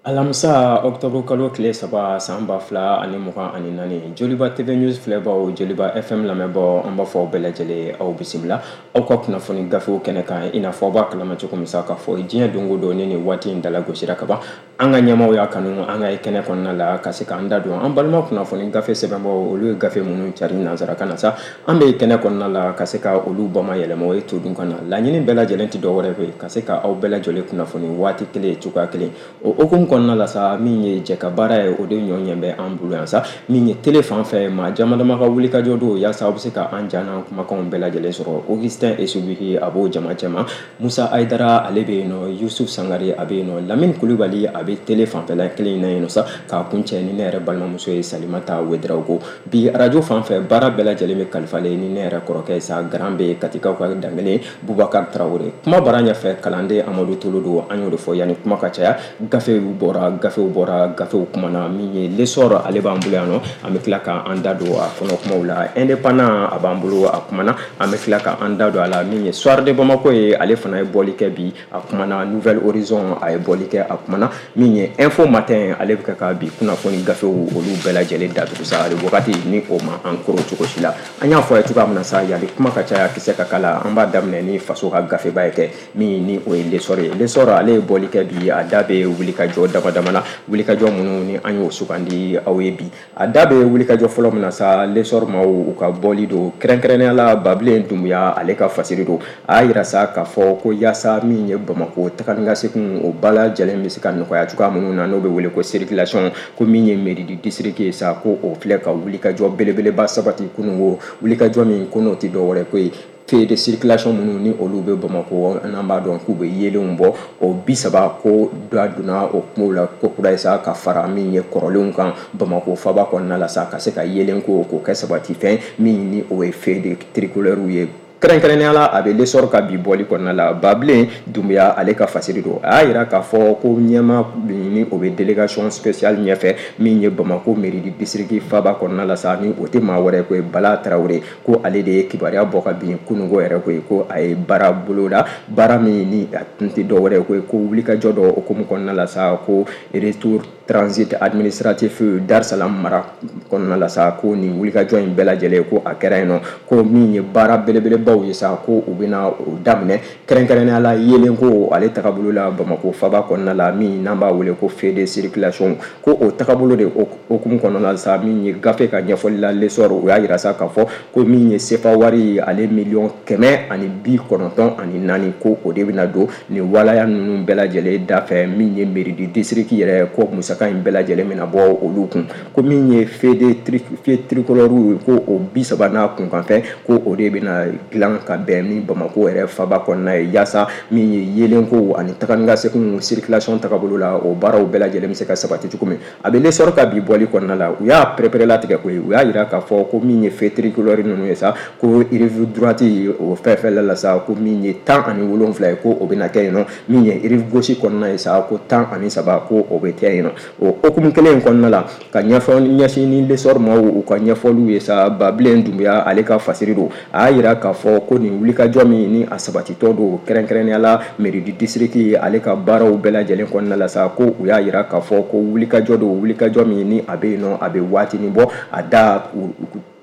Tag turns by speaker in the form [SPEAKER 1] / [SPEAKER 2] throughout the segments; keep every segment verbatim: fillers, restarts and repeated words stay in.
[SPEAKER 1] Alamisa octobre kalo tile saba san ba fila ani mugan ani naani, Joliba T V News filɛbaw, Joliba F M lamɛnbaw, an b'a fɔ aw bɛɛ lajɛlen, aw bisimila aw ka kunnafoni gafew kɛnɛ kan. I n'a fɔ aw b'a kalama cogo min sa k'a fɔ diɲɛ don o don ni nin waati in dala gosira ka ban, an ka ɲɛmaw y'a kanu an ka kɛnɛ kɔnɔna la ka se k'an da don an balima kunnafoni gafe sɛbɛnbaw, olu ye gafe minnu cari nansarakan na sa, an bɛ kɛnɛ kɔnɔna la ka se ka olu bama yɛlɛma o ye todun kan na. Laɲini bɛɛ lajɛlen tɛ dɔwɛrɛ ye, ka se ka aw bɛɛ lajɛlen kunnafoni waati kelen, cogoya kelen. O hukumu kɔnɔna la sa, min ye jɛ ka baara ye, o de ɲɔ ɲɛ bɛ an bolo yan sa. Min ye télé fan fɛ, maa jama dama ka wulikajɔ don yaasa aw bɛ se ka an ja n'an kumakanw bɛɛ lajɛlen sɔrɔ. Augustin Esubihi, a b'o jama cɛma. Musa Ayidara, ale bɛ yen nɔ. Yusuf Sangare, a bɛ yen nɔ. Lamini Kulubali, a bɛ télé fanfɛla kelen in na yen nɔ sa, k'a kun cɛ ni ne yɛrɛ balimamuso ye, Salimata Wedarawogo. Bi arajo fan fɛ, baara bɛɛ lajɛlen bɛ kalifalen ni ne yɛrɛ kɔrɔkɛ sa, garan bɛ Katikaw ka dankelen, Bubakari Tarawele. Kuma bara ɲɛfɛ, kalanden Amadu Tolo don. An y'o de fɔ, yanni kuma ka caya, gafew bɔra, gafew bɔra, gafew kumana. Min ye L'Essor, ale b'an bolo yan nɔ, an bɛ tila k'an da don a kɔnɔ kumaw la. Indépendant, a b'an bolo, a kumana, an bɛ tila k'an da don a la. Min ye Soir de Bamako ye, ale fana ye bɔli kɛ bi, a kumana. Nouvel Horizon, a ye bɔli kɛ, a kumana. Min ye Info Matin, ale bɛ kɛ ka bi kunnafoni gafew olu bɛɛ lajɛlen datugu sa. Ale wagati ni o ma an koro cogo si la, an y'a fɔ a ye cogoya min na sa, yanni kuma ka caya, kisɛ ka kala, an b'a daminɛ ni faso ka gafeba ye kɛ min ni o ye L'Essor ye. L'Essor, ale ye bɔli kɛ bi, a da bɛ wulikajɔ dama dama na, wulikajɔ minnu ni an y'o sugandi aw ye bi. A da bɛ wulikajɔ fɔlɔ min na sa, L'Essor maaw u ka bɔli don, kɛrɛnkɛrɛnnenya la Babilen Dunbuya, ale ka fasiri don. A y'a yira sa k'a fɔ ko yaasa min ye Bamako taga ni ka segin, o ba lajɛlen bɛ se ka nɔgɔya cogoya minnu na, n'o bɛ wele ko circulation, ko min ye mairie du district ye sa, ko o filɛ ka wulikajɔ belebeleba sabati kununko, wulikajɔ min ko n'o tɛ dɔwɛrɛ ko ye feux de circulation minnu ni olu bɛ Bamakɔ, n'an b'a dɔn k'u bɛ yeelenw bɔ, o bi saba, ko da donna o kumaw la ko kura ye sa, ka fara min ye kɔrɔlenw kan Bamakɔ faba kɔnɔna la sa, ka se ka yeelen ko k'o kɛ sabati fɛn min ni o ye feux de tricolore ye. Kɛrɛnkɛrɛnnenya la, a bɛ L'Essor ka bi bɔli kɔnɔna la, Babilen Dunbuya, ale ka fasiri don. A y'a yira k'a fɔ ko ɲɛma ni o bɛ délégation spéciale ɲɛfɛ, min ye Bamako mairie du district faba kɔnɔna la sa, ni o tɛ maa wɛrɛ ko ye Bala Tarawele, ko ale de ye kibaruya bɔ ka bin kununko yɛrɛ ko ye ko a ye baara boloda, baara min ni a tun tɛ dɔwɛrɛ ko ye ko wulikajɔ dɔ hukumu kɔnɔna la sa, ko retour transit administratif Dar Salam mara kɔnɔna la sa, ko nin wulikajɔ in bɛɛ lajɛlen, ko a kɛra yen nɔ, ko min ye baara belebelebaw ye sa, ko u bɛna o daminɛ, kɛrɛnkɛrɛnnenya la yeelen ko ale tagabolo la Bamako faba kɔnɔna la, min n'an b'a wele ko feux de circulation, ko o tagabolo de hukumu kɔnɔna la sa. Min ye gafe ka ɲɛfɔli la, L'Essor, o y'a yira sa k'a fɔ ko min ye sefa wari ale miliyɔn kɛmɛ ani bi kɔnɔntɔn ani naani, ko o de bɛna don nin walaya ninnu bɛɛ lajɛlen da fɛ. Min ye mairie du district yɛrɛ, ko musaka in bɛɛ lajɛlen bɛna bɔ olu kun, ko min ye feux de feux tricolore, ko o bi saba n'a kunkanfɛn, ko o de bɛna dilan ka bɛn ni Bamako yɛrɛ faba kɔnɔna ye, yaasa min ye yeelenko ani taga ni ka segin circulation tagabolo la, o baaraw bɛɛ lajɛlen bɛ se ka sabati cogo min. A bɛ L'Essor ka bi bɔli kɔnɔna la, u y'a pɛrɛpɛrɛlatigɛ koyi. U y'a yira k'a fɔ ko min ye feux tricolore ninnu ye sa, ko rive droite o fɛn fɛn la sa, ko min ye tan ani wolonfila ye, ko o bɛna kɛ yen nɔ. Min ye rive gauche kɔnɔna ye sa, ko tan ani saba, ko o bɛ kɛ yen nɔ. O hukumu kelen in kɔnɔna la, ka ɲɛfɔ ɲɛsin ni L'Essor maaw u ka ɲɛfɔliw ye sa, Babilen Dunbuya, ale ka fasiri don. A y'a yira k'a fɔ ko nin wulikajɔ min ni a sabatitɔ don, kɛrɛnkɛrɛnnenya la mairie du district, ale ka baaraw bɛɛ lajɛlen kɔnɔna la sa, ko u y'a yira k'a fɔ ko wulikajɔ don, wulikajɔ min ni a bɛ yen nɔ, a bɛ waatinin bɔ, a da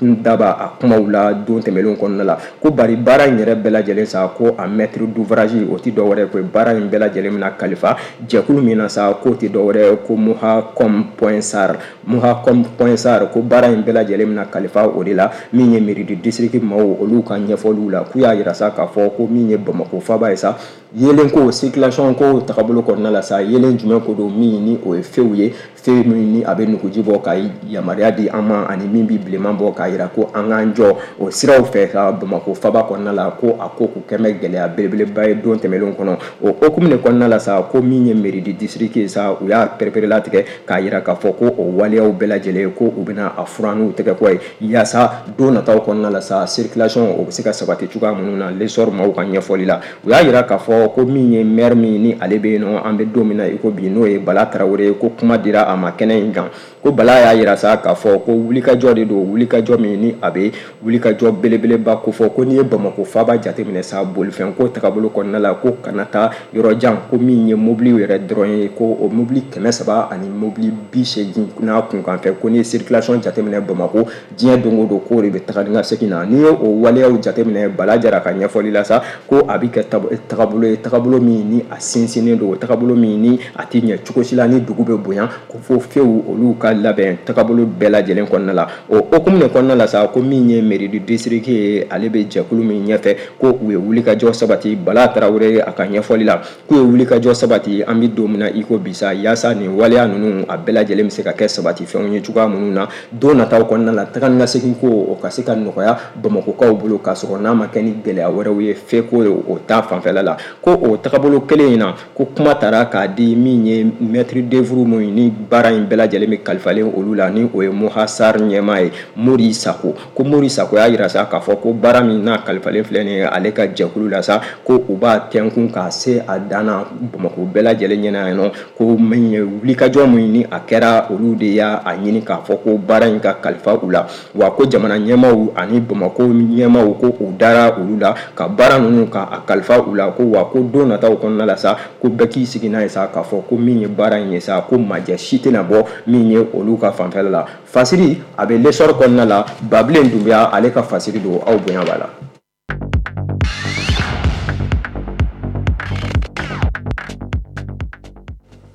[SPEAKER 1] daba a kumaw la don tɛmɛnlenw kɔnɔna la, ko bari baara in yɛrɛ bɛɛ lajɛlen sa, ko a maître d'ouvrage, o tɛ dɔwɛrɛ ko baara in bɛɛ lajɛlen bɛna kalifa jɛkulu min na sa, k'o tɛ dɔwɛrɛ ko Muhacom point sar, Muhacom point sar, ko baara in bɛɛ lajɛlen bɛna kalifa o de la. Min ye mairie du district maaw, olu ka ɲɛfɔliw la, k'u y'a yira sa k'a fɔ ko min ye Bamako faba ye sa, yeelen ko circulation ko tagabolo kɔnɔna la sa, yeelen jumɛn ko don, min ni o ye feuw ye, feu min ni a bɛ nuguji bɔ ka yamaruya di an ma, ani min bɛ bilenman bɔ k'a yira ko an k'an jɔ o siraw fɛ ka Bamako faba kɔnɔna la, ko a ko k'u kɛ bɛ gɛlɛya belebeleba ye don tɛmɛnlenw kɔnɔ. O hukumu de kɔnɔna la sa, ko min ye mairie du district ye sa, u y'a pɛrɛpɛrɛlatigɛ k'a yira k'a fɔ ko o waleyaw bɛɛ lajɛlen, ko u bɛna a furan n'u tɛgɛ kɔ ye, yaasa don nataw kɔnɔna la sa, circulation o bɛ se ka sabati cogoya minnu na. L'Essor maaw ka ɲɛfɔli la, u y'a yira k'a fɔ ko min ye maire min ni ale bɛ yen nɔ, an bɛ don min na i ko bi, n'o ye Bala Tarawele, ko kuma dira a ma kɛnɛ in kan, ko Bala y'a yira sa k'a fɔ ko wulikajɔ de don, wulikajɔ min ni a bɛ wulikajɔ belebeleba kofɔ, ko n'i ye Bamakɔ faaba jateminɛ sa bolifɛn ko tagabolo kɔnɔna la, ko kana taa yɔrɔ jan, ko min ye mobili yɛrɛ dɔrɔn ye, ko o mobili kɛmɛ saba ani mobili bi seegin n'a kunkanfɛ, ko n'i ye circulation jateminɛ Bamakɔ diɲɛ don o don k'o de bɛ taga ni ka segin na. N'i ye o waleyaw jateminɛ Bala Jara ka ɲɛfɔli la sa, ko a bɛ kɛ tagabolo ye, tagabolo min ni a sinsinnen don, tagabolo min ni a tɛ ɲɛ cogo si la ni dugu bɛ bonya, ko fo fewu olu ka labɛn tagabolo bɛɛ lajɛlen kɔnɔna la. O hokumu de kɔnɔna la sa, ko min ye mairie du district ye, ale bɛ jɛkulu min ɲɛfɛ, ko u ye wulikajɔ sabati Bala Tarawele a ka ɲɛfɔli la, k'u ye wulikajɔ sabati an bɛ don min na i ko bi sa, yaasa nin waleya ninnu a bɛɛ lajɛlen bɛ se ka kɛ sabati fɛnw ye cogoya minnu na don nataw kɔnɔna la, taga ni ka segin ko o ka se ka nɔgɔya Bamakɔkaw bolo, k'a sɔrɔ n'a ma kɛ ni gɛlɛya wɛrɛw ye feko ye o ta fanfɛla la. Ko o tagabolo kelen in na, ko kuma taara k'a di min ye maître d'œuvre min ni baara in bɛɛ lajɛlen bɛ kalifalen olu la, ni o ye Moha Sarr ɲɛmaa ye Mori Sako. Ko Mori Sako y'a jira sa k'a fɔ ko baara min n'a kalifalen filɛ nin ye ale ka jɛkulu la sa, ko u b'a tɛnkun k'a se a dan na Bamakɔ bɛɛ lajɛlen ɲɛna yan nɔ, ko min ye wulikajɔ min ni a kɛra olu de y'a ɲini k'a fɔ ko baara in ka kalifa u la, wa ko jamana ɲɛmaaw ani Bamakɔ ɲɛmaaw ko u dara olu la ka baara ninnu ka a kalifa u la, ko wa ko don nataw kɔnɔna la sa, ko bɛɛ k'i sigi n'a ye sa k'a fɔ ko min ye baara in ye sa, ko majɛ si tɛna bɔ min ye olu ka fanfɛla la. Fasiri a bɛ L'Essor kɔnɔna la, Babilen Dunbiya ale ka fasiri don, aw bonya b'a la.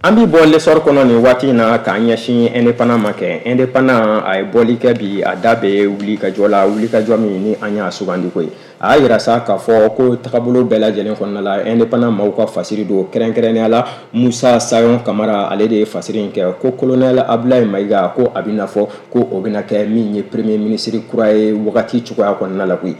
[SPEAKER 1] An bɛ bɔ L'Essor kɔnɔ nin waati in na k'an ɲɛsin Indépendant ma kɛ. Indépendant a ye bɔli kɛ bi, a da bɛ wulikajɔ la, wulikajɔ min ni an y'a sugandi koyi. A y'a jira sa k'a fɔ ko tagabolo bɛɛ lajɛlen kɔnɔna la, Indépendant maaw ka fasiri don, kɛrɛnkɛrɛnnenya la Musa Sayon Kamara ale de ye fasiri in kɛ, ko colonel Abdoulaye Maïga ko a bɛna fɔ ko o bɛna kɛ min ye premier ministre kura ye wagati cogoya kɔnɔna la koyi.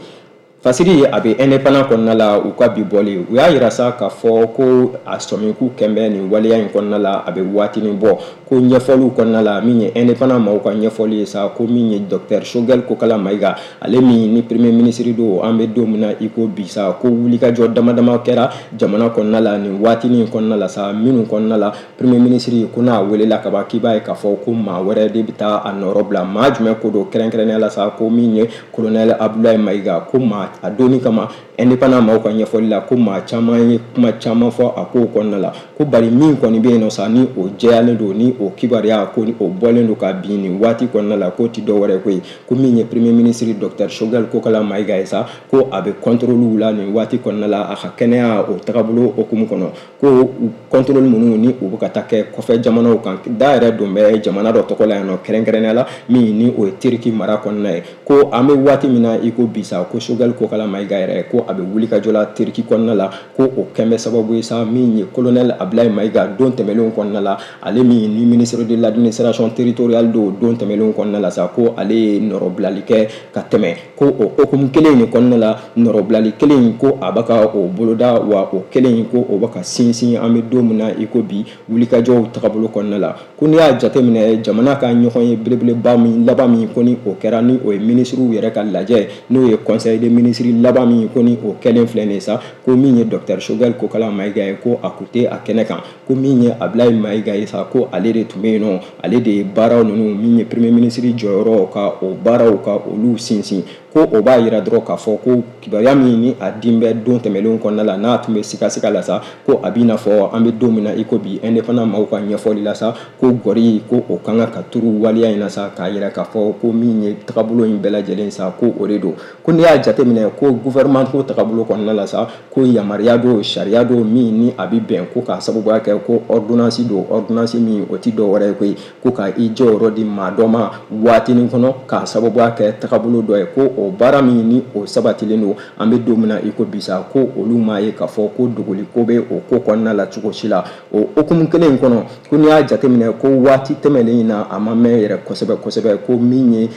[SPEAKER 1] Fasiri a bɛ Indépendant kɔnɔna la, u ka bi bɔli u y'a jira sa k'a fɔ ko a sɔmiku kɛnbɛ nin waleya in kɔnɔna la, a bɛ waatinin bɔ, ko ɲɛfɔliw kɔnɔna la min ye Indépendant maaw ka ɲɛfɔli ye sa, ko min ye docteur Choguel Kokala Maïga ale min ni premier ministre don an bɛ don min na i ko bi sa, ko wulikajɔ dama dama kɛra jamana kɔnɔna la nin waatinin kɔnɔna la sa, minnu kɔnɔna la premier ministre ko n'a welela ka ban k'i b'a ye k'a fɔ ko maa wɛrɛ de bɛ taa a nɔrɔ bila, maa jumɛn ko don kɛrɛnkɛrɛnnenya la sa, ko min ye colonel Abdoulaye Maïga, ko maa a donni kama Indépendant maaw ka ɲɛfɔli la, ko maa caman ye kuma caman fɔ a kow kɔnɔna la, ko bari min kɔni bɛ yen nɔ sa ni o jɛyalen don, ni o kibaruya ko o bɔlen don ka bin nin waati kɔnɔna la, k'o ti dɔwɛrɛ ko ye, ko min ye premier ministre docteur Choguel Kokala Maïga ye sa, ko a bɛ contrôle la nin waati kɔnɔna la a ka kɛnɛya o tagabolo hokumu kɔnɔ, ko contrôle minnu ni u bɛ ka taa kɛ kɔfɛ jamanaw kan, da yɛrɛ don bɛ jamana dɔ tɔgɔ la yan nɔ kɛrɛnkɛrɛnnenya la min ni o ye Turki mara kɔnɔna ye, ko an bɛ waati min na i ko bi sa, ko Choguel Kokala Maïga yɛrɛ ko a bɛ wulikajɔ la Turki kɔnɔna la, ko o kɛn bɛ sababu ye sa min ye colonel Abdoulaye Maïga don tɛmɛnlenw kɔnɔna la, ale min ni ministre de l'administration territoriale don don tɛmɛnlenw kɔnɔna la sa, ko ale ye nɔrɔbilali kɛ ka tɛmɛ, ko o hokumu kelen in kɔnɔna la, nɔrɔbilali kelen in ko a bɛ ka o boloda, wa o kelen in ko o bɛ ka sinsin an bɛ don min na i ko bi wulikajɔw tagabolo kɔnɔna la. Ko n'i y'a jateminɛ jamana ka ɲɔgɔn ye belebeleba min laban min ko ni o kɛra, ni o ye minisiriw yɛrɛ ka lajɛ, n'o ye conseil des ministres laban min ko ni o kɛlen filɛ nin ye sa, ko min ye docteur Choguel Kokala Maïga ye ko a kun tɛ a kɛnɛ kan, ko min ye Abdoulaye Maïga ye sa, ko ale de tun bɛ yen nɔ, ale de ye baaraw ninnu min ye premier ministre jɔyɔrɔ ka o baaraw ka olu sinsin, ko o b'a jira dɔrɔn k'a fɔ ko kibaruya min ni a din bɛ don tɛmɛnlenw kɔnɔna la n'a tun bɛ sikasika la sa, ko a b'i n'a fɔ an bɛ don min na i ko bi Indépendant maaw ka ɲɛfɔli la sa, ko gɔri ko o kan ka turu waleya in na sa, k'a jira k'a fɔ ko min ye tagabolo in bɛɛ lajɛlen sa, ko o de don. Ko n'i y'a jateminɛ ko gouvernement ko tagabolo kɔnɔna la sa, ko yamaruya don, sariya don min ni a bɛ bɛn, ko k'a sababuya kɛ ko ordonnance don, ordonnance min o ti dɔwɛrɛ ye koyi, ko ka i jɔyɔrɔ di maa dɔ ma waatinin kɔnɔ k'a sababuya kɛ tagabolo dɔ ye, ko o baara min ni o sabatilen don an bɛ don min na i ko bi sa, ko olu m'a ye k'a fɔ ko dogoli ko bɛ o ko kɔnɔna la cogo si la. O hokumu kelen in kɔnɔ, ko n'i y'a jateminɛ ko waati tɛmɛnen in na a ma mɛn yɛrɛ kosɛbɛ kosɛbɛ, ko min ye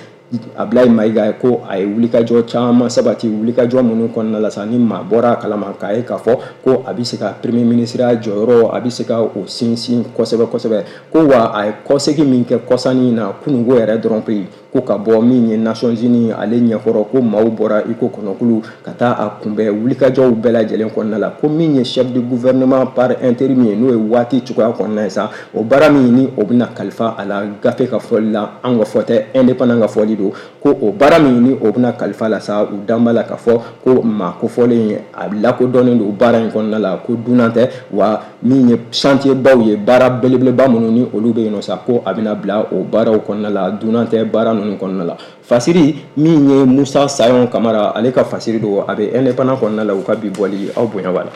[SPEAKER 1] Abdoulaye Maïga ko a ye wulikajɔ caman sabati, wulikajɔ minnu kɔnɔna la sa ni maa bɔra a kalama k'a ye k'a fɔ ko a bɛ se ka premier ministre jɔyɔrɔ a bɛ se ka o sinsin kosɛbɛ kosɛbɛ, ko wa a ye kɔsegin min kɛ kɔsannin in na kununko yɛrɛ dɔrɔn pewu, ko ka bɔ min ye Nations Unies ale ɲɛkɔrɔ, ko maaw bɔra i ko kɔnɔkulu ka taa a kunbɛn wulikajɔw bɛɛ lajɛlen kɔnɔna la. Ko min ye chef de gouvernement par intérim ye, n'o ye waati cogoya kɔnɔna ye sa, o baara min ni o bɛna kalifa a la gafe ka fɔli la, an ka fɔ tɛ, indépendant ka fɔli don, ko o baara min ni o bɛna kalifa la sa, u dan b'a la k'a fɔ ko maa kofɔlen a lakodɔnnen don baara in kɔnɔna la, ko dunan tɛ, wa min ye chantier baw ye, baara belebeleba minnu ni olu bɛ yen nɔ sa, ko a bɛna bila o baaraw kɔnɔna la, dunan tɛ baara ninnu kɔnɔna la. Fasiri min ye Musa Sayon Kamara ale ka fasiri don, a bɛ indépendant kɔnɔna la, u ka bi bɔli aw bonya b'a la.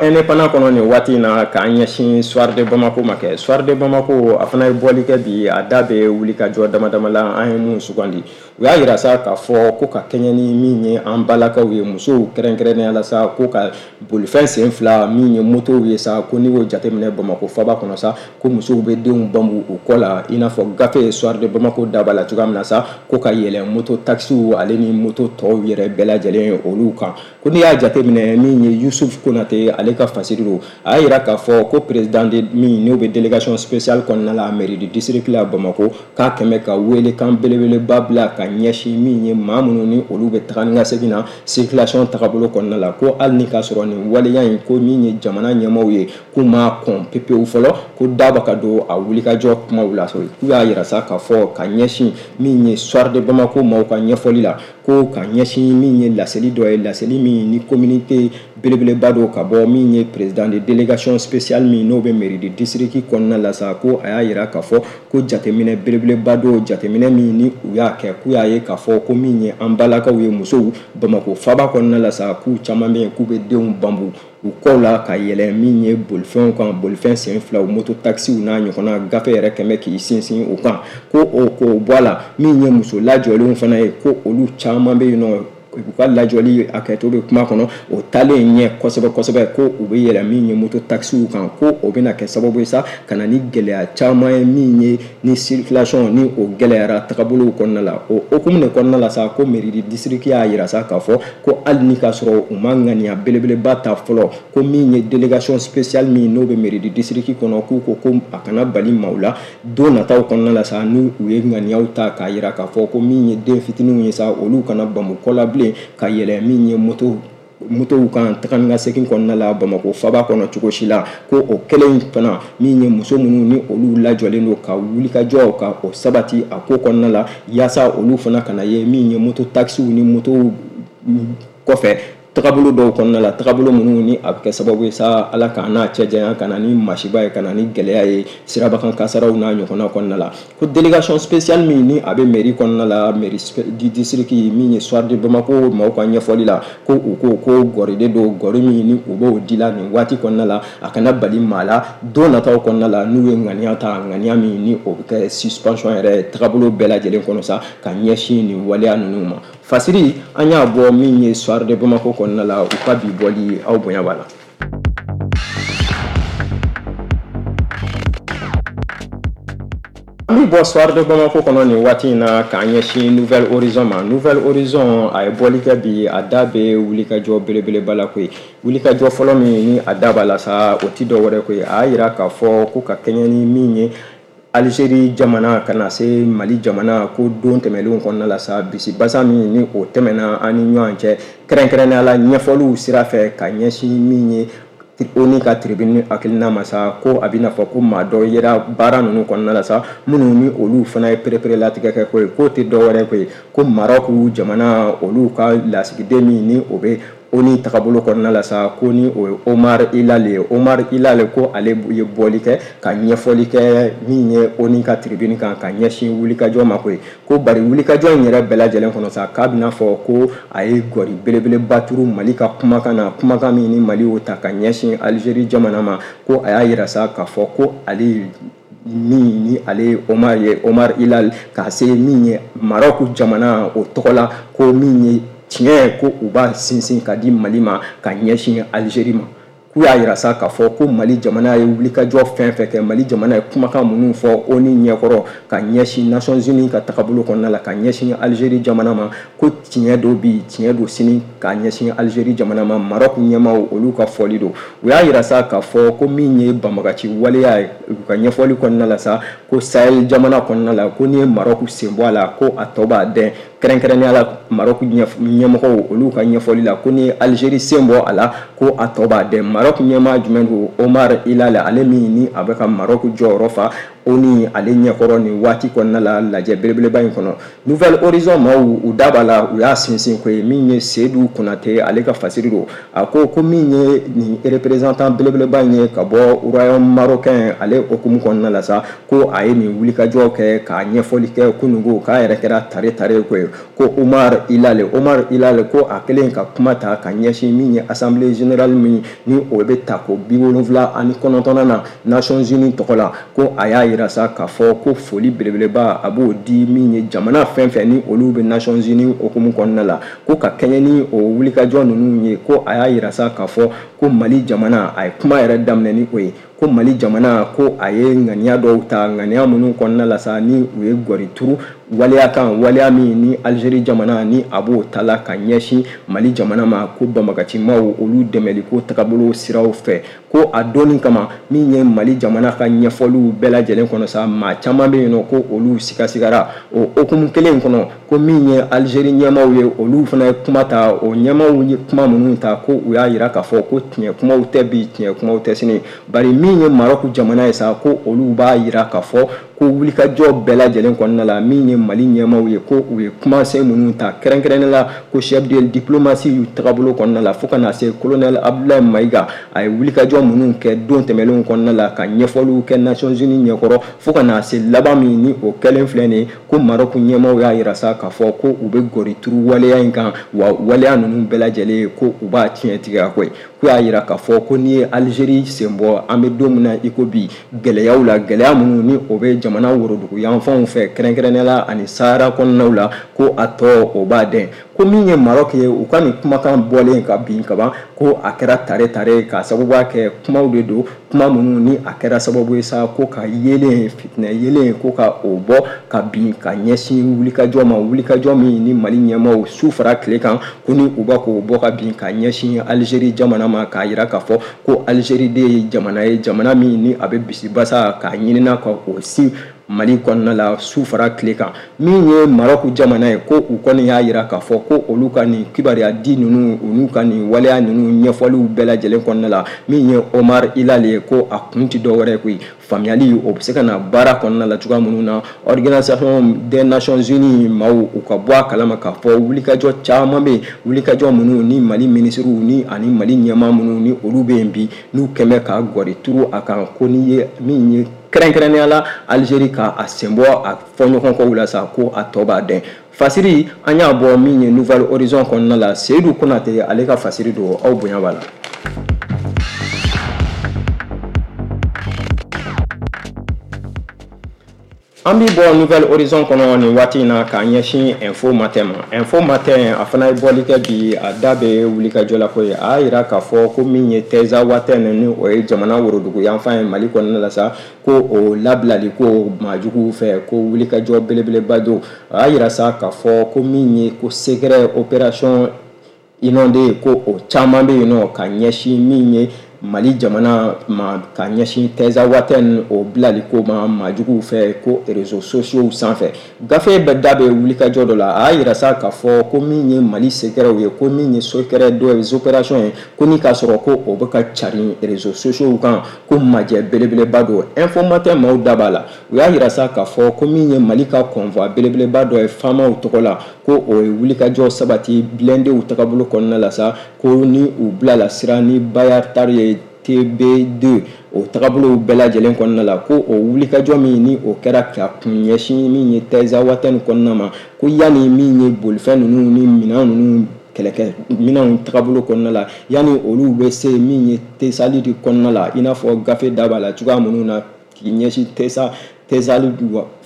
[SPEAKER 1] Indépendant kɔnɔ nin waati in na, k'an ɲɛsin Soir de Bamako ma kɛ. Soir de Bamako a fana ye bɔli kɛ bi, a da bɛ wulikajɔ dama dama la an ye mun sugandi. U y'a yira sa k'a fɔ ko ka kɛɲɛ ni min ye an balakaw ye, musow kɛrɛnkɛrɛnnenya la sa, ko ka bolifɛn sen fila min ye motow ye sa, ko n'i y'o jateminɛ Bamako faba kɔnɔ sa, ko musow bɛ denw bambu u kɔ la, i n'a fɔ gafe ye Soir de Bamako daba la cogoya min na sa, ko ka yɛlɛn moto taxiw ale ni moto tɔw yɛrɛ bɛɛ lajɛlen olu kan. Ko n'i y'a jateminɛ min ye Yusuf Konate ale ka fasiri don, a y'a yira k'a fɔ ko président de min n'o bɛ délégation spéciale kɔnɔna la mairie du district la Bamako, k'a kɛmɛ ka welekan belebeleba bila ka ɲɛsin min ye maa minnu ni olu bɛ taga ni ka segin na circulation tagabolo kɔnɔna la, ko hali ni k'a sɔrɔ nin waleya in ko min ye jamana ɲɛmaaw ye k'u m'a kɔn pepewu fɔlɔ, ko daba ka don a wulikajɔ kumaw la. K'u y'a yira sa k'a fɔ ka ɲɛsin min ye Soir de Bamako maaw ka ɲɛfɔli la, ko ka ɲɛsin min ye laseli dɔ ye, laseli min ni communauté belebeleba don ka bɔ min ye président de délégation spéciale min n'o bɛ mairie du district kɔnɔna la sa, ko a y'a yira k'a fɔ ko jateminɛ belebeleba don, jateminɛ min ni u y'a kɛ, k'u y'a ye k'a fɔ ko min ye an balakaw ye musow Bamako faba kɔnɔna la sa, k'u caman bɛ yen k'u bɛ denw bambu u kɔw la ka yɛlɛn min ye bolifɛnw kan, bolifɛn sen filaw, moto taxiw n'a ɲɔgɔnna, gafe yɛrɛ kɛmɛ k'i sinsin o kan, ko o k'o bɔ a la. Min ye muso lajɔlenw fana ye, ko olu caman bɛ yen nɔ u ka lajɔli hakɛto bɛ kuma kɔnɔ, o taalen ɲɛ kosɛbɛ kosɛbɛ, ko u bɛ yɛlɛn min ye moto taxiw kan, ko o bɛna kɛ sababu ye sa ka na ni gɛlɛya caman ye min ye ni circulation ni o gɛlɛyara tagabolow kɔnɔna la. O hokumu de kɔnɔna la sa, ko mairie du district y'a yira sa k'a fɔ ko hali ni k'a sɔrɔ u ma ŋaniya belebeleba ta fɔlɔ, ko min ye délégation spéciale min n'o bɛ mairie du district kɔnɔ, k'u ko ko a kana bali maaw la don nataw kɔnɔna la sa, n'u u ye ŋaniyaw ta k'a yira k'a fɔ ko min ye den fitininw ye sa, olu kana bamu kɔ la bilen ka yɛlɛn min ye moto motow kan taga ni ka segin kɔnɔna la Bamako faba kɔnɔ cogo si la. Ko o kelen fana min ye muso minnu ni olu lajɔlen don ka wulikajɔ ka o sabati a ko kɔnɔna la, yaasa olu fana kana ye min ye moto taxiw ni motow kɔfɛ tagabolo dɔw kɔnɔna la, tagabolo minnu ni a bɛ kɛ sababu ye sa Ala k'an n'a cɛ janya, ka na ni masiba ye, ka na ni gɛlɛya ye sirabakan kasaraw n'a ɲɔgɔnna kɔnɔna la. Ko délégation spéciale min ni a bɛ mairie kɔnɔna la, mairie du district min ye Soir de Bamako maaw ka ɲɛfɔli la, ko u ko ko gɔri de don, gɔri min ni u b'o di la nin waati kɔnɔna la, a kana bali maa la don nataw kɔnɔna la n'u ye ŋaniya ta, ŋaniya min ni o bɛ kɛ suspension yɛrɛ tagabolo bɛɛ lajɛlen kɔnɔ sa ka ɲɛsin nin waleya ninnu ma. Fasiri an y'a bɔ min ye Soir de Bamako kɔnɔna la, u ka bi bɔli aw bonya b'a la. An bɛ bɔ Soir de Bamako kɔnɔ nin waati in na k'an ɲɛsin Nouvelle Horizon ma. Nouvelle Horizon a ye bɔli kɛ bi, a da bɛ wulikajɔ belebeleba la koyi. Wulikajɔ fɔlɔ min ni a da b'a la sa, o ti dɔ wɛrɛ koyi, a y'a yira k'a fɔ ko ka kɛɲɛ ni min ye Algérie jamana ka na se Mali jamana, ko don tɛmɛnlenw kɔnɔna la sa, bisibasa min ni o tɛmɛna an ni ɲɔgɔn cɛ, kɛrɛnkɛrɛnnenya la ɲɛfɔliw sira fɛ ka ɲɛsin min ye ONU ka tribune hakilina ma sa, ko a bɛna fɔ ko maa dɔ yera baara ninnu kɔnɔna la sa, minnu ni olu fana ye pereperelatigɛ kɛ koyi, k'o tɛ dɔ wɛrɛ koyi, ko Maroc jamana olu ka lasigiden min ni o bɛ ONU tagabolo kɔnɔna la sa, ko ni o ye Omar Hilale ye. Omar Hilale ko ale ye bɔli kɛ ka ɲɛfɔli kɛ min ye ONU ka tribune kan ka ɲɛsin wulikajɔ ma koyi, ko bari wulikajɔ in yɛrɛ bɛɛ lajɛlen kɔnɔ sa, k'a bɛna fɔ ko a ye gɔri belebeleba turu Mali ka kumakan na, kumakan min ni Mali y'o ta ka ɲɛsin Algérie jamana ma, ko a y'a yira sa k'a fɔ ko ale min ni ale ye Omar ye, Omar Hilale, ka se min ye Maroc jamana o tɔgɔ la, ko min ye tiɲɛ ko u b'a sinsin ka di Mali ma ka ɲɛsin Algérie ma. K'u y'a yira sa k'a fɔ ko Mali jamana ye wulikajɔ fɛn fɛn kɛ, Mali jamana ye kumakan minnu fɔ ONU ɲɛkɔrɔ ka ɲɛsin Nations Unies ka tagabolo kɔnɔna la ka ɲɛsin Algérie jamana ma, ko tiɲɛ don bi, tiɲɛ don sini ka ɲɛsin Algérie jamana ma. Maroc ɲɛmaaw olu ka fɔli don. U y'a yira sa k'a fɔ ko min ye banbagaci waleya ye, u ka ɲɛfɔli kɔnɔna la sa, ko Sahel jamana kɔnɔna la, ko n'i ye Maroc sen bɔ a la, ko a tɔ b'a dɛn. Kɛrɛnkɛrɛnnenya la Maroc ɲɛmɔgɔw olu ka ɲɛfɔli la, ko ni Algérie sen bɔ a la, ko a tɔ b'a dɛn. Maroc ɲɛmaa jumɛn don? Omar Hilale, ale min ni a bɛ ka Maroc jɔyɔrɔ fa ONU ale ɲɛkɔrɔ nin waati kɔnɔna la lajɛ belebeleba in kɔnɔ. Nouvel Horizon maaw u da b'a la, u y'a sinsin ko ye min ye Seydou Konate ale ka fasiri don. A ko ko min ye nin représentant belebeleba in ye ka bɔ royaume marocain ale hokumu kɔnɔna la sa, ko a ye nin wulikajɔ kɛ k'a ɲɛfɔli kɛ kununko k'a yɛrɛ kɛra tare tare ko ye, ko Omar Hilale Omar Hilale ko a kɛlen ka kuma ta ka ɲɛsin min ye assemblée générale min ni o bɛ ta ko bi wolonwula ani kɔnɔntɔnnan na Nations Unies tɔgɔ la, ko a y'a yira sa k'a fɔ ko foli belebeleba a b'o di min ye jamana fɛn fɛn ni olu bɛ Nations Unies hokumu kɔnɔna la, ko ka kɛɲɛ ni o wulikajɔ ninnu ye, ko a y'a yira sa k'a fɔ ko Mali jamana a ye kuma yɛrɛ daminɛ ni o ye, ko Mali jamana ko a ye ŋaniya dɔw ta, ŋaniya minnu kɔnɔna la sa ni u ye gɔri turu waleya kan, waleya min ni Algérie jamana ni a b'o ta la ka ɲɛsin Mali jamana ma, ko banbagacimaw olu dɛmɛli ko tagabolo siraw fɛ, ko a donni kama min ye Mali jamana ka ɲɛfɔliw bɛɛ lajɛlen kɔnɔ sa, maa caman bɛ yen nɔ ko olu sigasigara o hokumu kelen kɔnɔ, ko min ye Algérie ɲɛmaaw ye olu fana ye kuma ta, o ɲɛmaaw ye kuma minnu ta ko u y'a yira k'a fɔ ko tiɲɛ kumaw tɛ bi, tiɲɛ kumaw tɛ sini, bari min ye Maroc jamana ye sa, ko olu b'a yira k'a fɔ ko wulikajɔ bɛɛ lajɛlen kɔnɔna la min ye Mali ɲɛmaaw ye, ko u ye kumasen minnu ta kɛrɛnkɛrɛnnen la ko chef de diplomatie y'u tagabolo kɔnɔna la fo ka na se colonel Abdoulaye Maïga, a ye wulikajɔ minnu kɛ don tɛmɛnlenw kɔnɔna la ka ɲɛfɔliw kɛ Nations Unies ɲɛkɔrɔ fo ka na se laban min ni o kɛlen filɛ nin ye, ko Maroc ɲɛmaaw y'a yira sa k'a fɔ ko u bɛ gɔri turu waleya in kan, wa waleya ninnu bɛɛ lajɛlen ko u b'a tiɲɛ tigɛ koyi. Ko y'a yira k'a fɔ ko n'i ye Algérie sen bɔ, an bɛ don min na i ko bi, gɛlɛyaw la, gɛlɛya minnu ni o bɛ jamana worodugu yanfanw fɛ kɛrɛnkɛrɛnnenya la ani Sahara kɔnɔnaw la, ko a tɔ o b'a dɛn. Ko min ye Maroc ye, u ka nin kumakan bɔlen ka bin kaban, ko a kɛra tare tare ka sababuya kɛ kumaw de don, kuma minnu ni a kɛra sababu ye sa ko ka yeelen fitinɛ yeelen ko ka o bɔ ka bin ka ɲɛsin wulikajɔ ma, wulikajɔ min ni Mali ɲɛmaaw su fara tile kan ko ni u b'a k'o bɔ ka bin ka ɲɛsin Algérie jamana ma, k'a yira k'a fɔ ko Algérie de ye jamana ye, jamana min ni a bɛ bisibasa k'a ɲinina ka o sin Mali kɔnɔna la su fara tile kan. Min ye Maroc jamana ye, ko u kɔni y'a yira k'a fɔ ko olu ka nin kibaruya di ninnu, olu ka nin waleya ninnu ɲɛfɔliw bɛɛ lajɛlen kɔnɔna la, min ye Omar Hilale ye, ko a kun ti dɔwɛrɛ koyi, faamuyali o bɛ se ka na baara kɔnɔna la cogoya minnu na Organisation des Nations Unies maaw u ka bɔ a kalama k'a fɔ wulikajɔ caman bɛ yen, wulikajɔ minnu ni Mali minisiriw ni ani Mali ɲɛmaa minnu ni olu bɛ yen bi n'u kɛn bɛ ka gɔri turu a kan, ko n'i ye min ye kɛrɛnkɛrɛnnenya la Algérie ka a sen bɔ a fɔɲɔgɔnkɔw la sa, ko a tɔ b'a dɛn. Fasiri an y'a bɔ min ye Nouvel Horizon kɔnɔna la, Seydou Konate ale ka fasiri don, aw bonya b'a la. An bɛ bɔ Nouvel Horizon kɔnɔ nin waati in na k'a ɲɛsin Info Matin ma. Info Matin a fana ye bɔli kɛ bi, a da bɛ wulikajɔ la ko ye, a y'a yira k'a fɔ ko min ye Tinzaouatène ni o ye jamana worodugu yanfan ye Mali kɔnɔna la sa, ko o labilali ko maajuguw fɛ, ko wulikajɔ belebeleba don. A y'a yira sa k'a fɔ ko min ye ko secret opération inondée ko o caman bɛ yen nɔ ka ɲɛsin min ye Mali jamana ma, ka ɲɛsin Tinzaouatène o bilali ko ma maajuguw fɛ ko réseaux sociaux sanfɛ. Gafe bɛ da bɛ wulikajɔ dɔ la, a y'a yira sa k'a fɔ ko min ye Mali secretw ye, ko min ye secret dɔ ye opération ye, ko ni k'a sɔrɔ ko o bɛ ka carin réseaux sociaux kan, ko majɛ belebeleba don. Info Matin maaw da b'a la, u y'a yira sa k'a fɔ ko min ye Mali ka convoi belebeleba dɔ ye faamaw tɔgɔ la, ko o ye wulikajɔ sabati blindéw tagabolo kɔnɔna la sa, ko ni u bilala sira ni Bayard ye T B deux o tagabolow bɛɛ lajɛlen kɔnɔna la, ko o wulikajɔ min ni o kɛra ka kun ɲɛsin min ye Tinzaouatène kɔnɔna ma, ko yanni min ye bolifɛn ninnu ni minɛn ninnu kɛlɛkɛ minɛnw tagabolo kɔnɔna la, yanni olu bɛ se min ye Tessalit kɔnɔna la, i n'a fɔ gafe da b'a la cogoya minnu na k'i ɲɛsin Tessa Tessalit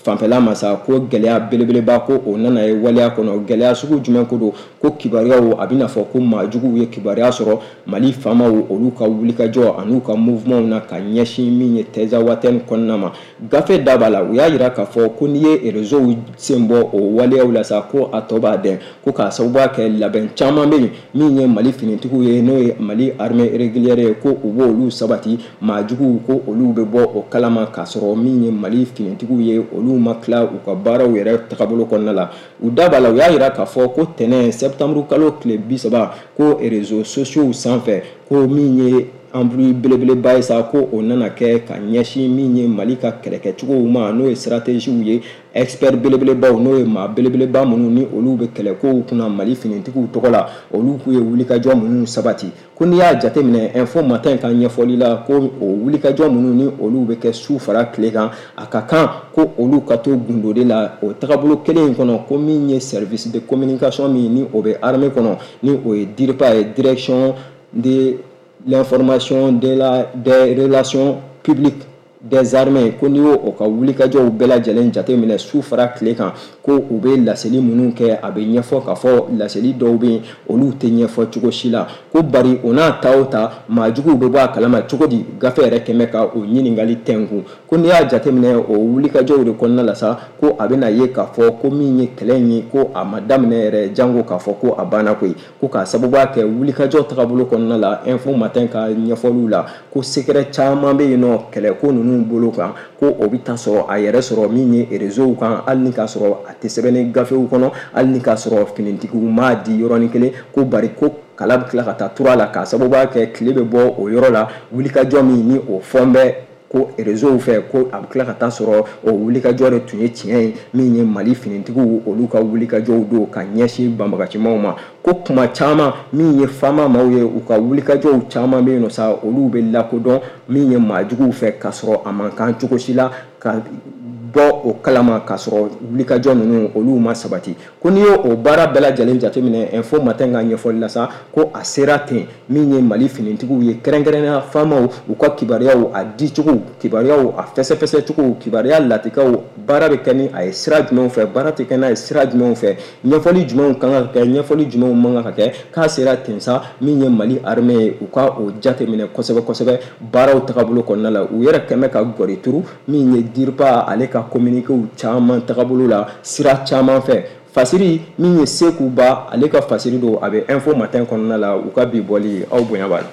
[SPEAKER 1] fanfɛla ma sa, ko gɛlɛya belebeleba ko o nana ye waleya kɔnɔ. Gɛlɛya sugu jumɛn ko don? Ko kibaruyaw a bɛna fɔ ko maajuguw ye kibaruya sɔrɔ Mali faamaw olu ka wulikajɔ an'u ka mouvement na ka ɲɛsin min ye Tinzawatène kɔnɔna ma. Gafe da b'a la, u y'a jira k'a fɔ ko n'i ye réseau sen bɔ o waleyaw la sa, ko a tɔ b'a dɛn, ko k'a sababuya kɛ labɛn caman bɛ yen min ye Mali finitigiw ye, n'o ye Mali armée régulière ye, ko u b'olu sabati, maajuguw ko olu bɛ bɔ o kalama k'a sɔrɔ min ye Mali finitigiw ye olu ma tila u ka baaraw yɛrɛ tagabolo kɔnɔna la. U da b'a la, u y'a jira k'a fɔ ko tɛnɛn septembre kalo tile bi saba, ko réseaux sociaux sanfɛ, ko min ye embrouille belebeleba ye sa, ko o nana kɛ ka ɲɛsin min ye Mali ka kɛlɛkɛcogow ma, n'o ye stratégie ye, expert belebelebaw, n'o ye maa belebeleba minnu ni olu bɛ kɛlɛkow kunna Mali finitigiw tɔgɔ la, olu k'u ye wulikajɔ minnu sabati. Ko n'i y'a jateminɛ Info Matin ka ɲɛfɔli la, ko o wulikajɔ minnu ni olu bɛ kɛ su fara tile kan, a ka kan ko olu ka to gundo de la o tagabolo kelen in kɔnɔ, ko min ye service de communication min ni o bɛ armée kɔnɔ, ni o ye DIRPA ye, direction de l'information de la des relations publiques des armées, ko n'i y'o o ka wulikajɔw bɛɛ lajɛlen jateminɛ su fara tile kan, ko u bɛ laseli minnu kɛ, a bɛ ɲɛfɔ k'a fɔ laseli dɔw bɛ yen olu tɛ ɲɛfɔ cogo si la, ko bari o n'a ta o ta maajuguw bɛ bɔ a kalama cogo di? Gafe yɛrɛ kɛmɛ ka o ɲininkali tɛnkun. Ko n'i y'a jateminɛ o wulikajɔw de kɔnɔna la sa, ko a bɛna ye k'a fɔ ko min ye kɛlɛ in ye, ko a ma daminɛ yɛrɛ jango k'a fɔ ko a banna koyi, ko k'a sababuya kɛ wulikajɔ tagabolo kɔnɔna la. Info Matin ka ɲɛfɔliw la, ko secret caman bɛ yen nɔ kɛlɛko ninnu bolo kan, ko o bɛ taa sɔrɔ a yɛrɛ sɔrɔ min ye réseau kan, hali ni k'a sɔrɔ a tɛ sɛbɛnni gafew kɔnɔ, hali ni k'a sɔrɔ finitigiw m'a di yɔrɔnin kelen, ko bari ko kala bɛ tila ka taa tura la k'a sababuya kɛ tile bɛ bɔ o yɔrɔ la, wulikajɔ min ni o fɔn bɛ ko réseau fɛ, ko a bɛ tila ka taa sɔrɔ o wulikajɔ de tun ye tiɲɛ ye, min ye Mali finitigiw olu ka wulikajɔw don ka ɲɛsin banbagacimaw ma. Ko kuma caman min ye faama maaw ye, u ka wulikajɔw caman bɛ yen nɔ sa, olu bɛ lakodɔn min ye maajuguw fɛ k'a sɔrɔ a man kan cogo si la ka bɔ o kalama k'a sɔrɔ wulikajɔ ninnu olu ma sabati. Ko n'i y'o baara bɛɛ lajɛlen jateminɛ Info Matin ka ɲɛfɔli la sa, ko a sera ten min ye Mali finitigiw ye, kɛrɛnkɛrɛnnenya faamaw u ka kibaruyaw a dicogo, kibaruyaw a fɛsɛfɛsɛcogo, kibaruya latikaw, baara bɛ kɛ ni a ye sira jumɛnw fɛ, baara tɛ kɛ n'a ye sira jumɛnw fɛ, ɲɛfɔli jumɛnw kan ka kɛ, ɲɛfɔli jumɛnw man kan ka kɛ. K'a sera ten sa min ye Mali armée ye, u ka o jateminɛ kosɛbɛ kosɛbɛ baaraw tagabolo kɔnɔna la. U yɛrɛ kɛmɛ ka gɔri turu min ye DIRPA ale ka communiqué caman tagabolo la sira caman fɛ. Fasiri min ye Seku Ba ale ka fasiri don, a bɛ Info Matin kɔnɔna la, u ka bi bɔli aw bonya b'a la.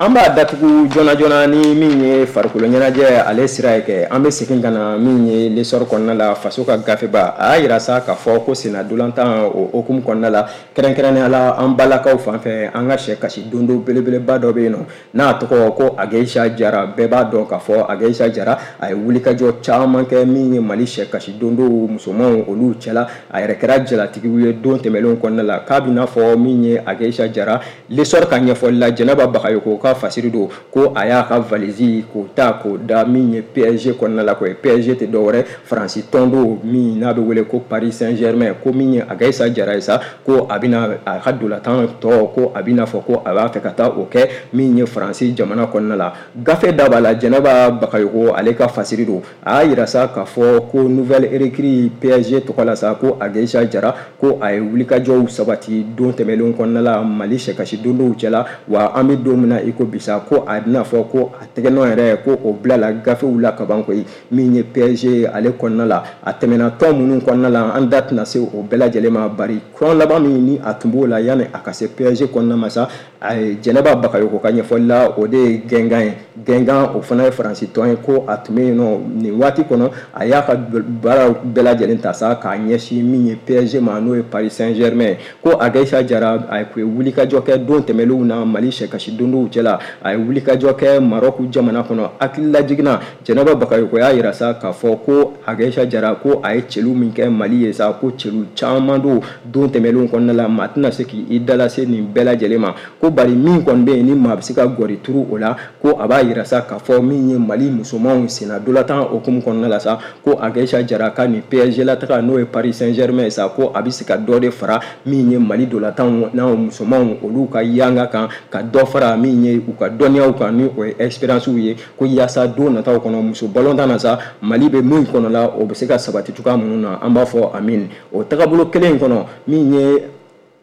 [SPEAKER 1] An b'a datugu joona joona ni min ye farikolo ɲɛnajɛ ale sira ye kɛ. An bɛ segin ka na min ye l'essor kɔnɔna la, faso ka gafeba a y'a jira sa k'a fɔ ko senna dolantan o hokumu kɔnɔna la, kɛrɛnkɛrɛnnenya la an balakaw fan fɛ, an ka sɛ kasi dondo belebeleba dɔ bɛ yen nɔ n'a tɔgɔ ko Ageyisa Jara. Bɛɛ b'a dɔn k'a fɔ Ageyisa Jara a ye wulikajɔ caman kɛ min ye Mali sɛ kasi dondow musomanw olu cɛla, a yɛrɛ kɛra jalatigiw ye don tɛmɛnlenw kɔnɔna la. K'a bɛna fɔ min ye Ageyisa Jara, l'essor ka ɲɛfɔli la, Jɛnɛba Bagayoko ka fasiri don, ko a y'a ka valise k'o ta k'o da min ye P S G kɔnɔna la. Ko P S G tɛ dɔwɛrɛ Faransi tɔn don min n'a bɛ wele ko Paris Saint-Germain, ko min ye Ageyisa Jara ye sa, ko a bɛna a ka dolantan tɔ, ko a bɛna fɔ ko a b'a fɛ ka taa o kɛ min ye Faransi jamana kɔnɔna la. Gafe da b'a la, Jɛnɛba Bagayoko ale ka fasiri don, a y'a jira sa k'a fɔ ko nouvelle recrue P S G tɔgɔ la sa, ko Ageyisa Jara ko a ye wulikajɔw sabati don tɛmɛnlenw kɔnɔna la Mali sɛkasi dondow cɛla, wa an bɛ don min na i ko bisa, ko a bɛna fɔ ko a tɛgɛnɔ yɛrɛ ko o bilala gafew la kaban koyi min ye P S G ale kɔnɔna la. A tɛmɛna tɔn minnu kɔnɔna la, an da tɛna se o bɛɛ lajɛlen ma, bari tɔn laban min ni a tun b'o la yanni a ka se P S G kɔnɔna ma sa, a ye Jɛnɛba Bagayoko ka ɲɛfɔli la, o de ye Guingamp ye. Guingamp o fana ye Faransi tɔn ye, ko a tun bɛ yen nɔ nin waati kɔnɔ, a y'a ka baaraw bɛɛ lajɛlen ta sa k'a ɲɛsin min ye P S G ma, n'o ye Paris Saint-Germain. Ko Ageyisa Jara a ye wulikajɔ kɛ don tɛmɛnlenw na Mali sɛkasi dondow cɛla, a ye wulikajɔ kɛ Maroc jamana kɔnɔ. Hakililajigin na, Jɛnɛba Bagayoko y'a jira sa k'a fɔ ko Ageyisa Jara ko a ye celu min kɛ Mali ye sa, ko celu caman don don tɛmɛnlenw kɔnɔna la, maa tɛna se k'i dalase nin bɛɛ lajɛlen ma, ko bari min kɔni bɛ yen ni maa bɛ se ka gɔri turu o la, ko a b'a jira sa k'a fɔ min ye Mali musomanw senna dolantan hokumu kɔnɔna la sa, ko Ageyisa Jara ka nin P S G la taga n'o ye Paris Saint-Germain sa, ko a bɛ se ka dɔ de fara min ye Mali dolantanw n'a musomanw olu ka yanga kan, ka dɔ fara min ye biri u ka dɔnniyaw kan ni o ye expérience ye, ko yaasa don nataw kɔnɔ muso balontan na sa, Mali bɛ min kɔnɔ la, o bɛ se ka sabati cogoya minnu na. An b'a fɔ amin. O tagabolo kelen in kɔnɔ, min ye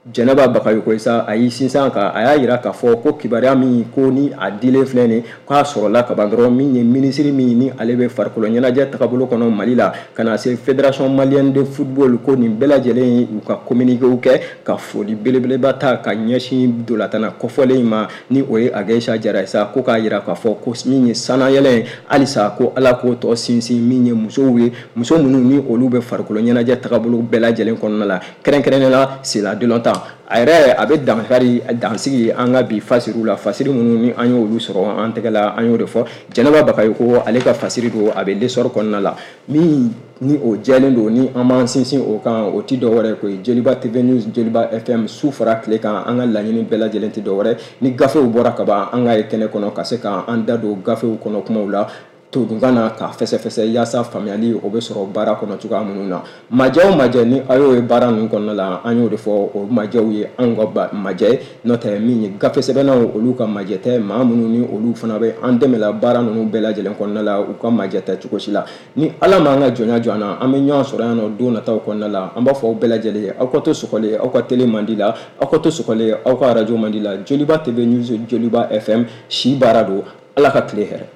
[SPEAKER 1] Jɛnɛba Bagayoko ye sa, a y'i sinsin kan, a y'a jira k'a fɔ ko kibaruya min ko ni a dilen filɛ nin, k'a sɔrɔla kaban dɔrɔn, min ye minisiri min ni ale bɛ farikolo ɲɛnajɛ tagabolo kɔnɔ Mali la, ka na se Fédération malienne de football, ko nin bɛɛ lajɛlen ye u ka communiqué kɛ ka foli belebeleba ta ka ɲɛsin dolatana kɔfɔlen in ma, ni o ye Ageyisa Jara ye sa, ko k'a jira k'a fɔ ko min ye sannayɛlɛn ye halisa, ko Ala k'o tɔ sinsin min ye musow ye, muso minnu ni olu bɛ farikolo ɲɛnajɛ tagabolo bɛɛ lajɛlen kɔnɔna la, kɛrɛnkɛrɛnnenya la senna a yɛrɛ a bɛ dankari dansigi an ka bi fasiriw la, fasiri minnu ni an y'olu sɔrɔ an tɛgɛ la, an y'o de fɔ. Jɛnɛba Bagayoko, ale ka fasiri don, a bɛ L'Essor kɔnɔna la, min ni o jɛlen don, ni an b'an sinsin o kan, o ti dɔwɛrɛ ko ye Joliba T V News, Joliba F M, su fara tile kan. An ka laɲini bɛɛ lajɛlen tɛ dɔwɛrɛ ni gafew bɔra ka ban, an ka ye kɛnɛ kɔnɔ ka se k'an da don gafew kɔnɔ kumaw la todunkan na k'a fɛsɛfɛsɛ, yaasa faamuyali o bɛ sɔrɔ baara kɔnɔ cogoya minnu na. Majɛ o majɛ ni a y'o ye baara ninnu kɔnɔna la, an y'o de fɔ, o majɛw ye anw ka majɛ ye, n'o tɛ min ye gafe sɛbɛnnaw olu ka majɛ tɛ, maa minnu ni olu fana bɛ an dɛmɛ la baara ninnu bɛɛ lajɛlen kɔnɔna la, u ka majɛ tɛ cogo si la. Ni Ala m'an ka jɔnya jɔ an na, an bɛ ɲɔgɔn sɔrɔ yan nɔ don nataw kɔnɔna la. An b'a fɔ aw bɛɛ lajɛlen ye, aw ka to sɔgɔlen aw ka télé man di la, aw ka to sɔgɔlen aw ka arajo man di la. Joliba T V News, Joliba F M, si baara don. Ala ka tile hɛrɛ.